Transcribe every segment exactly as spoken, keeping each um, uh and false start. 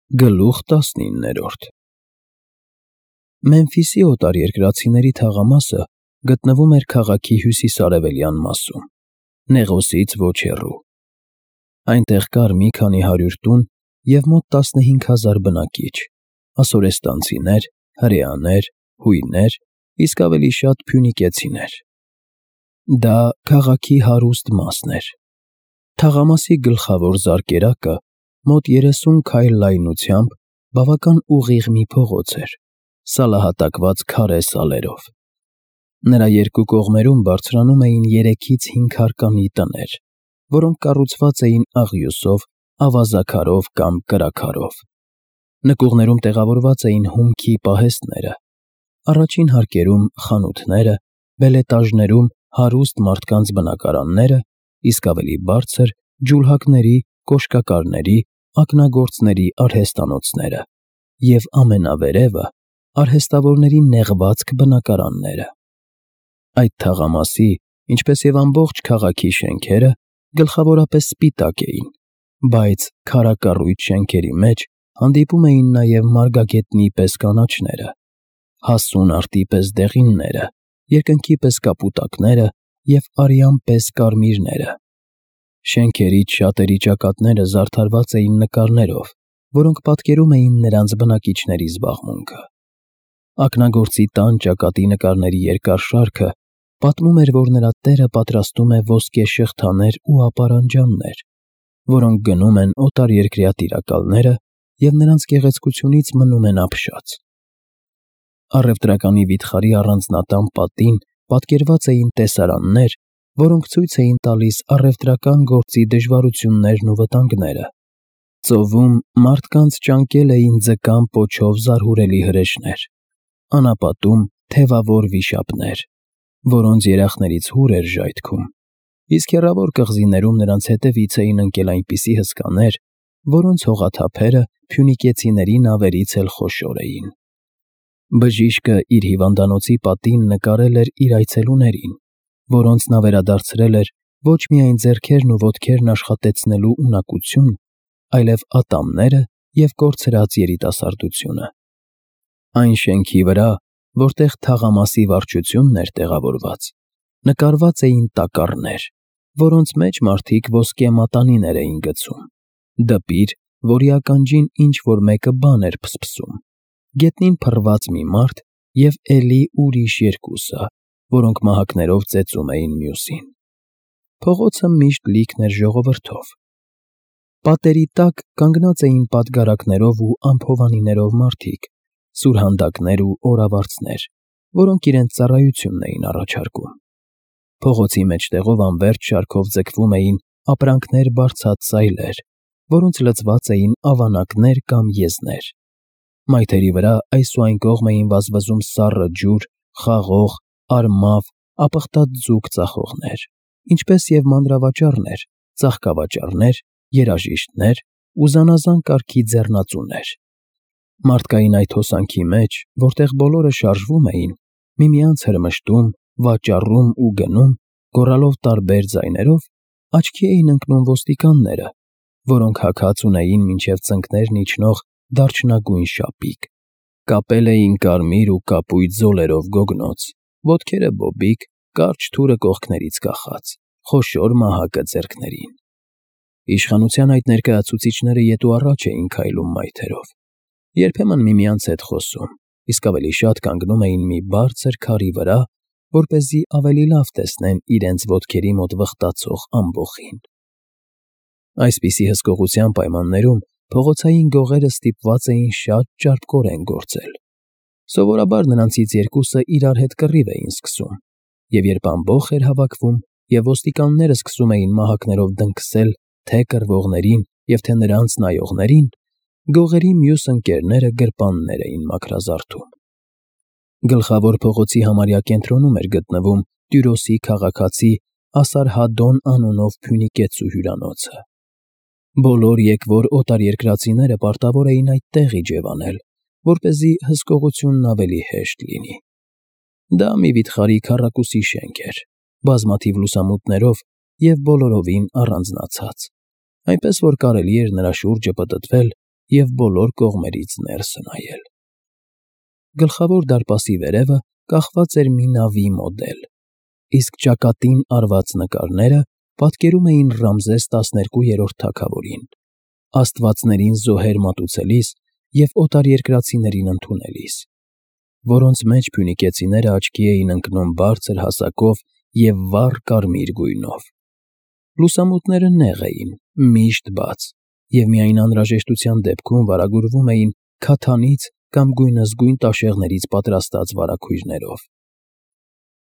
Գլուխ տասնիններորդ Մեմֆիսի օտարերկրացիների թաղամասը գտնվում էր քաղաքի հյուսիս֊արևելյան մասում, Նեղոսից ոչ հեռու. այնտեղ կար մի քանի հարյուր տուն և մոտ տասնհինգ հազար բնակիչ, ասորեստանցիներ, հրեաներ, հույներ, իսկ ավելի շատ փյունիկեցիներ. դա քաղաքի հարուստ մասն էր. թաղամասի գլխավոր զարկերակը մոտ երեսուն քայլ լայնությամբ բավական ուղիղ մի փողոց էր, սալահատակված քարե սալերով. նրա երկու կողմերում բարձրանում էին երեքից հինգ հարկանի տներ, որոնք կառուցված էին աղյուսով, ավազաքարով կամ կրաքարով. նկուղներում տեղավորված էին հումքի պահեստները, առաջին հարկերում խանութները, բելետաժներում հարուստ մարդկանց բնակարանները, իսկ ավելի բարձր՝ ջուլհակների, կոշկակարների, ակնագործների արհեստանոցները և ամենավերևը՝ արհեստավորների նեղվածք բնակարանները. այդ թաղամասի, ինչպես և ամբողջ քաղաքի շենքերը գլխավորապես սպիտակ էին, բայց քարակառույց շենքերի մեջ հանդիպում էին նաև մարգագետնի պես կանաչները, հասուն արդի պես դեղինները, երկնքի պես կապուտակները և արյան պես կարմիրները. շենքերից շատերի ճակատները զարդարված էին նկարներով, որոնք պատկերում էին նրանց բնակիչների զբաղմունքը. ակնագործի տան ճակատի նկարների երկար շարքը պատմում էր, որ նրա տերը պատրաստում է ոսկե շղթաներ ու ապարանջաններ, որոնք գնում են օտարերկրյա տիրակալները և նրանց գեղեցկությունից մնում են ապշած. առևտրականի վիթխարի առանձնատան պատին պատկերված էին տեսարաններ, որոնք ցույց էին տալիս առևտրական գործի դժվարություններն ու վտանգները. ծովում մարդկանց ճանկել էին ձկան պոչով զարհուրելի հրեշներ, անապատում թևավոր վիշապներ, որոնց երախներից հուր էր ժայթքում, իսկ հեռավոր կղզիներում նրանց հետևից էին ընկել այնպիսի հսկաներ, որոնց հողաթափերը փյունիկեցիների նավերից էլ խոշոր էին. բժիշկը իր հիվանդանոցի պատին նկարել էր իր այցելուներին, որոնց նա վերադարձրել էր ոչ միայն ձեռքերն ու ոտքերն աշխատեցնելու ունակություն, այլև ատամները և կորցրած երիտասարդությունը. այն շենքի վրա, որտեղ թաղամասի վարչությունն էր տեղավորված, նկարված էին տակառներ, որոնց մեջ մարդիկ ոսկե մատանիներ էին գցում, դպիր, որի ականջին ինչ-որ մեկը բան էր փսփսում, գետնին փռված մի մարդ և էլի ուրիշ երկուսը, որոնք մահակներով ծեծում էին մյուսին. փողոցը միշտ լիքն էր ժողովրդով. պատերի տակ կանգնած էին պատգարակներով ու ամփովանիներով մարդիկ, սուրհանդակներ ու օրավարձներ, որոնք իրենց ծառայությունն էին առաջարկում. փողոցի մեջտեղով անվերջ շարքով ձգվում էին ապրանքներ բարձած սայլեր, որոնց լցված էին ավանակներ կամ եզներ. մայթերի վրա այս ու այն կողմ էին վազվզում սառը ջուր, խաղող, արմավ, ապխտած ձուկ ծախողներ, ինչպես և մանրավաճառներ, ծաղկավաճառներ, երաժիշտներ ու զանազան կարգի ձեռնածուներ. մարդկային այդ հոսանքի մեջ, որտեղ բոլորը շարժվում էին, միմյանց հրմշտում, վաճառում ու գնում, գոռալով տարբեր ձայներով, աչքի էին ընկնում ոստիկանները, որոնք հագած ունեին մինչև ծնկներն իջնող դարչնագույն շապիկ, կապել էին կարմիր ու կապույտ զոլերով գոգնոց, ոտքերը բոբիկ, կարճ թուրը կողքներից կախած, խոշոր մահակը ձեռքներին. իշխանության այդ ներկայացուցիչները ետ ու առաջ էին քայլում մայթերով, երբեմն միմյանց հետ խոսում, իսկ ավելի շատ կանգնում էին մի բարձր քարի վրա, որպեսզի ավելի լավ տեսնեն իրենց ոտքերի մոտ վխտացող ամբոխին. այսպիսի հսկողության պայմաններում փողոցային գողերը ստիպված էին շատ ճարպկորեն գործել. սովորաբար նրանցից երկուսը իրար հետ կռիվ էին սկսում, և երբ ամբոխ էր հավաքվում և ոստիկանները սկսում էին մահակներով դնքսել թե կռվողներին և թե նրանց նայողներին, գողերի մյուս ընկերները գրպաններ էին մաքրազարդում. գլխավոր փողոցի համարյա կենտրոնում էր գտնվում Տյուրոսի քաղաքացի Ասարհադոն անունով փյունիկեցու հյուրանոցը. բոլոր եկվոր օտարերկրացիները պարտավոր էին այդտեղ իջևանել, որպեսզի հսկողությունն ավելի հեշտ լինի. դա մի վիթխարի քառակուսի շենք էր, բազմաթիվ լուսամուտներով և բոլորովին առանձնացած, այնպես որ կարելի էր նրա շուրջը պտտվել և բոլոր կողմերից ներս նայել։ Գլխավոր դարպասի վերևը կախված էր մի նավի մոդել, իսկ ճակատին արված նկարները պատկերում էին Ռամզես տասներկուերորդ թագավորին, աստվածներին զոհեր մատուցելիս և օտարերկրացիներին ընդունելիս, որոնց մեջ փյունիկեցիները աչքի էին ընկնում բարձր հասակով և վառ կարմիր գույնով։ Լուսամուտները նեղ էին, միշտ բաց, և միայն անհրաժեշտության դեպքում վարագուրվում էին քաթանից կամ գույնզգույն տաշեղներից պատրաստած վարագույրներով։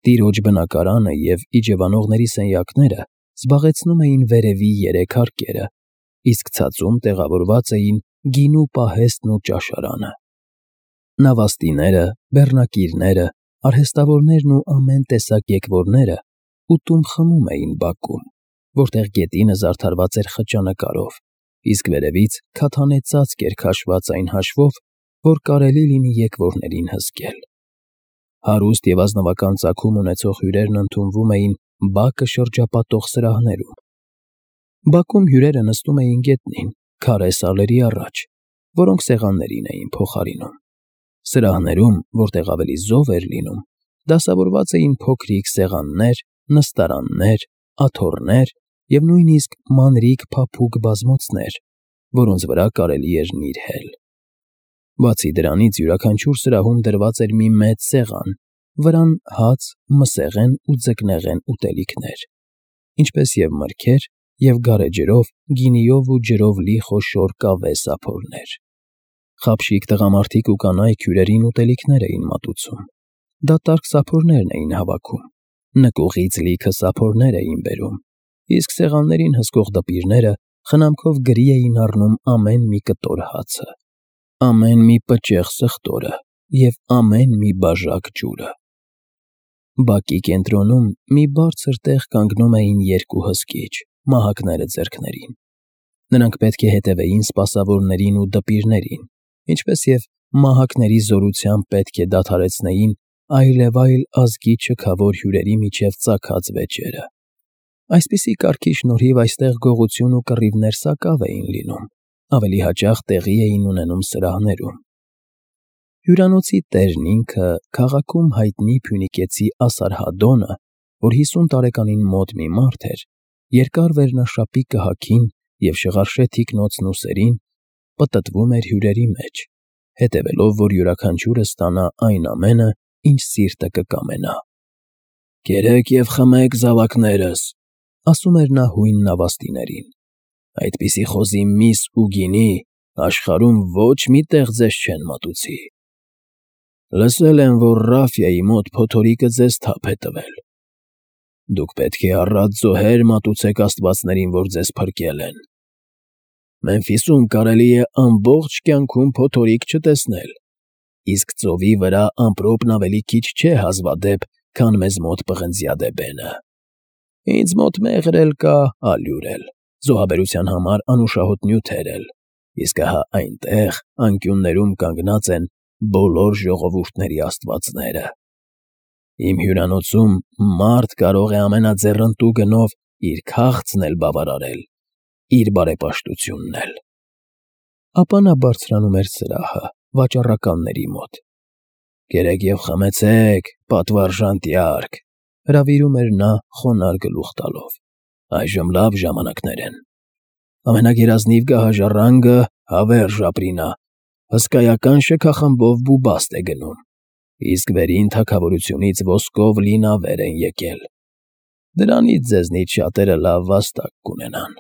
Տիրոջ բնակարանը և իջևանողների սենյակները զբաղեցնում էին վերևի երեք հարկերը, իսկ ցածում տեղավորված էին գինու պահեստն ու ճաշարանը։ Նավաստիները, բեռնակիրները, արհեստավորներն ու ամեն տեսակ եկվորները ուտում֊խմում էին բակում, որտեղ գետինը զարդարված էր խճանկարով, իսկ վերևից քաթանե ծածկ էր քաշված այն հաշվով, որ կարելի լինի եկվորներին հսկել։ Հարուստ և ազնվական ծագում ունեցող հյուրերն ընդունվում էին բակը շրջապատող սրահներում։ Բակում հյուրերը նստում էին գետնին, քարե սալերի առաջ, որոնք սեղաններին էին փոխարինում։ Սրահներում, որտեղ ավելի զով էր լինում, դասավորված էին փոքրիկ սեղաններ, նստարաններ, աթոռներ և նույնիսկ մանրիկ փափուկ բազմոցներ, որոնց վրա կարելի էր նիրհել։ Բացի դրանից, յուրաքանչյուր սրահում դրված էր մի մեծ սեղան, վրան հաց, մսեղեն ու ձկնեղեն ուտելիքներ, ինչպես և մրգեր և գարեջրով, գինիով ու ջրով լի խոշոր կավե սափորներ։ Խաբշիկ տղամարդիկ ու կանայք հյուրերին ուտելիքներ էին մատուցում։ Դատարկ սափորներն էին հավաքում, նկուղից լիքը սափորներ էին բերում, իսկ սեղաններին հսկող դպիրները խնամքով գրի էին առնում ամեն մի կտոր հացը, ամեն մի պճեղ սխտորը և ամեն մի բաժակ ջուրը։ Բակի կենտրոնում մի բարձր տեղ կանգնում էին երկու հսկիչ՝ մահակները ձեռքներին։ Նրանք պետք է հետևեին սպասավորներին ու դպիրներին, ինչպես և մահակների զորությամբ պետք է դադարեցնեին այլևայլ ազգի չքավոր հյուրերի միջև ծագած վեճերը։ Այսպիսի կարգի շնորհիվ այստեղ գողություն ու կռիվներ սակավ էին լինում, ավելի հաճախ տեղի էին ունենում սրահներում։ Հյուրանոցի տերն ինքը, քաղաքում հայտնի փյունիկեցի Ասարհադոնը, որ հիսուն տարեկանին մոտ մի մարդ էր, երկար վերնաշապի կհաքին և շղարշե թիկնոցն ուսերին, պտտվում էր հյուրերի մեջ, հետևելով, որ յուրաքանչյուրը ստանա այն ամենը, ինչ սիրտը կկամենա։ «Կերեք և խմեք, զավակներս», ֊ ասում էր նա հույն նավաստիներին, «այդպիսի խոզի միս ու գինի աշխարհում ոչ մի տեղ ձեզ չեն մատուցի։ Լսել եմ, որ Ռաֆիայի մոտ փոթորիկը ձեզ թափ է տվել։ Դուք պետք է առատ զոհեր մատուցեք աստվածներին, որ ձեզ փրկել են։ Մեմֆիսում կարելի է ամբողջ կյանքում փոթորիկ չտեսնել, իսկ ծովի վրա ամպրոպն ավելի քիչ չէ հազվադեպ, քան մեզ մոտ պղնձյադեբենը։ Ինձ մոտ մեղր էլ կա, ալյուր էլ, զոհաբերության համար անուշահոտ նյութեր էլ, իսկ ահա այնտեղ անկյուններում կանգնած են բոլոր ժողովուրդների աստվածները։ Իմ հյուրանոցում մարդ կարող է ամենաձեռնտու գնով իր քաղցն էլ բավարարել, իր բարեպաշտությունն էլ»։ Ապա նա բարձրանում էր սրահը, վաճառականների մոտ։ «Կերեք և խմեցեք, պատվարժան տյարք», ֊ հրավիրում էր նա խոնարհ գլուխ տալով, «այժմ լավ ժամանակներ են։ Ամենագերազնիվ գահաժառանգը, հավերժ ապրինա, հսկայական շքախմբով բուբաստ է գնում, իսկ վերին թագավորությունից ոսկով լի նավեր են եկել։ Դրանից ձեզնից շատերը լավ վաստակ կունենան։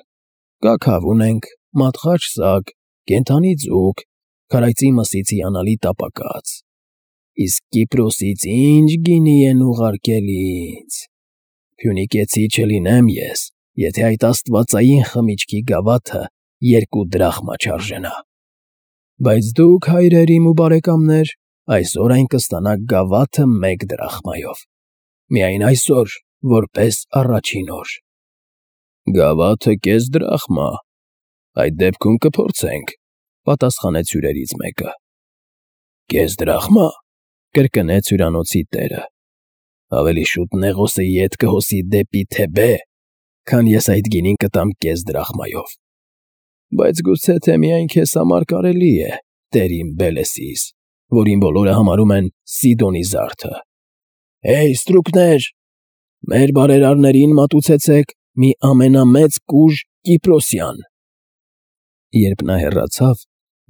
Կաքավ ունենք, մատղաշ սագ, կենդանի ձուկ, քարայծի մսից հիանալի տապակած։ Իսկ Կիպրոսից ի՜նչ գինի են ուղարկել ինձ։ Փյունիկեցի չլինեմ ես, եթե այդ աստվածային խմիչքի գավաթը երկու դրախմա չարժենա։ Բայց դուք, հայրեր իմ ու բարեկամներ, այսօր այն կստանաք գավաթը մեկ դրախմայով, միայն այսօր, որպես առաջին օր»։ «Գավաթը կես դրախմա, այդ դեպքում կփորձենք», ֊ պատասխանեց հյուրերից մեկը։ «Կես դրախմա», ֊ կրկնեց հյուրանոցի տերը, «ավելի շուտ Նեղոսը ետ կհոսի դեպի Թեբե, քան ես այդ գինին կտամ կես դրախմայով։ Բայց գուցե թե միայն քեզ համար կարելի է, տեր իմ Բելեսիս, որին բոլորը համարում են Սիդոնի զարդը։ Հեյ, ստրուկներ, մեր բարերարներին մատուցեցեք մի ամենամեծ կուժ Կիպրոսյան։ Երբ նա հեռացավ,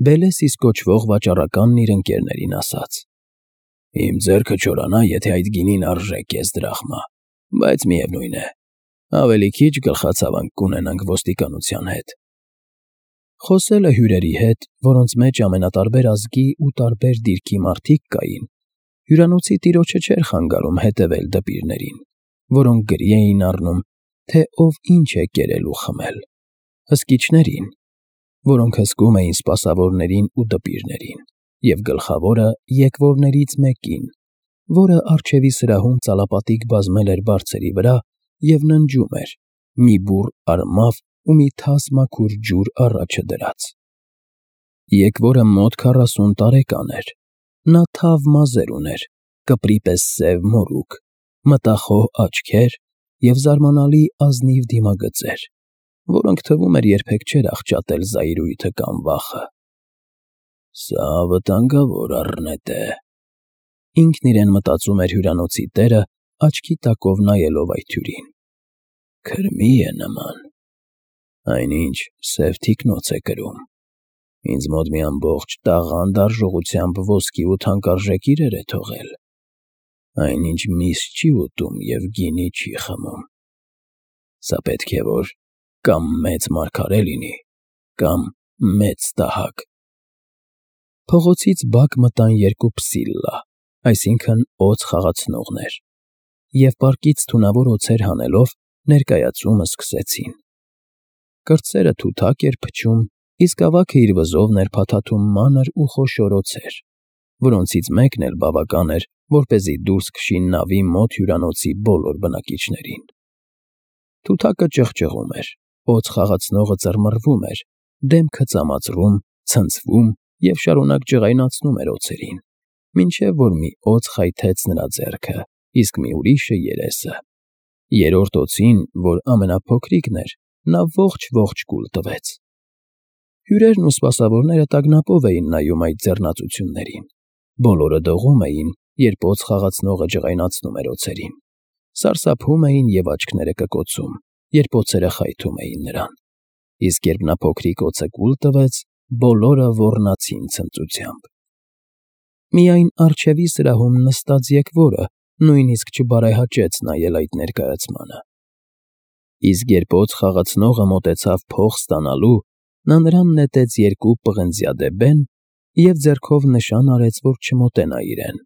Բելեսիս կոչվող վաճառականն իր ընկերներին ասաց. Իմ ձեռքը չորանա, եթե այդ գինին արժե կես դրախմա, բայց միևնույն է, ավելի քիչ գլխացավանք կունենանք ոստիկանության հետ։ Խոսելը հյուրերի հետ, որոնց մեջ ամենատարբեր ազգի ու տարբեր դիրքի մարդիկ կային, հյուրանոցի տիրոջը չէր խանգարում հետևել դպիրներին, որոնք գրի էին առնում, թե ով ինչ է կերել ու խմել, հսկիչներին, որոնք հսկում էին սպասավորներին ու դպիրներին, և գլխավորը եկվորներից մեկին, որը առջևի սրահում ծալապատիկ բազմել էր բարձերի վրա և ննջում էր, մի բուռ արմավ ու մի թաս մաքուր ջուր առաջը դրած։ Եկվորը մոտ քառասուն տարեկան էր, նա թավ մազեր ուներ, կպրի պես սև մորուք, մտախոհ աչքեր և զարմանալի ազնիվ դիմագծեր, որոնք թվում էր երբեք չէր աղճատել զայրույթը կամ վախը։ Սա վտանգավոր առնետ է, ինքն իրեն մտածում էր հյուրանոցի տերը, աչքի տակով նայելով այդ հյուրին։ Քրմի է նման, այնինչ սև թիկնոց է կրում, ինձ մոտ մի ամբողջ տաղանդ արժողությամբ ոսկի ու թանկարժեք իրեր է թողել, այնինչ միս չի ուտում և գինի չի խմում։ Սա պետք է որ կամ մեծ մարգարե լինի, կամ մեծ տահակ։ Փողոցից բակ մտան երկու փսիլլա, այսինքն՝ օձ խաղացնողներ, և պարկից թունավոր օձեր հանելով ներկայացումը սկսեցին։ Կրտսերը թութակ էր փչում, իսկ ավագը իր վզովն էր փաթաթում մանր ու խոշոր օձեր, որոնցից մեկն էլ բավական էր, որպեսզի դուրս քշի նավի մոտ հյուրանոցի բոլոր բնակիչներին։ Թութակը ճղճղում էր, օձ խաղացնողը ծռմռվում էր, դեմքը ծամածռում, ցնցվում և շարունակ ջղայնացնում էր օձերին, մինչև որ մի օձ խայթեց նրա ձեռքը, իսկ մի ուրիշը՝ երեսը։ Երրորդ օձին, որ ամենափոքրիկն էր, նա ողջ֊ողջ կուլ տվեց։ Հյուրերն ու սպասավորները տագնապով էին նայում այդ ձեռնածություններին, բոլորը դողում էին, երբ օձ խաղացնողը ջղայնացնում էր օձերին, սարսափում էին և աչքները կկոցում, երբ օձերը խայթում էին նրան, իսկ երբ նա փոքրիկ օձը կուլ տվեց, բոլորը ոռնացին ցնծությամբ։ Միայն առջևի սրահում նստած եկվորը նույնիսկ չբարեհաճեց նայել այդ ներկայացմանը։ Իսկ երբ օձ խաղացնողը մոտեցավ փող ստանալու, նա նրան նետեց երկու պղնձյադեբեն և ձեռքով նշան արեց, որ չմոտենա իրեն։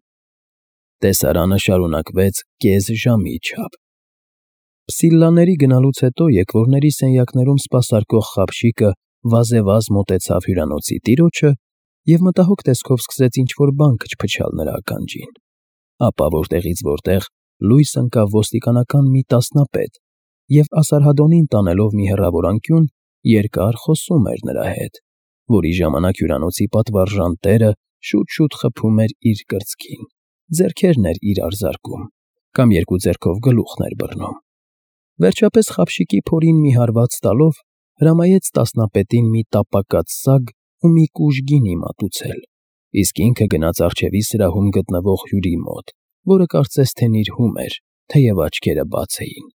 Տեսարանը շարունակվեց կես ժամի չափ։ Փսիլլաների գնալուց հետո եկվորների սենյակներում սպասարկող խաբշիկը վազեվազ մոտեցավ հյուրանոցի տիրոջը և մտահոգ տեսքով սկսեց ինչ֊որ բան քչփչալ նրա ականջին, ապա որտեղից որտեղ լույս ընկավ ոստիկանական մի տասնապետ և ասարհադոնին տանելով մի հեռավոր անկյուն, երկար խոսում էր նրա հետ, որի ժամանակ հյուրանոցի պատվարժան տերը շուտ֊շուտ խփում էր իր կրծքին, ձեռքերն էր իրար զարկում կամ երկու ձեռքով գլուխն էր բռնում։ Վերջապես խաբշիկի փորին մի հարված տալով հրամայեց տասնապետին մի տապակած սագ ու մի կուժ գինի մատուցել, իսկ ինքը գնաց առջևի սրահում գտնվող հյուրի մոտ, որը կարծես թե նիրհում էր, թեև աչքերը բաց էին։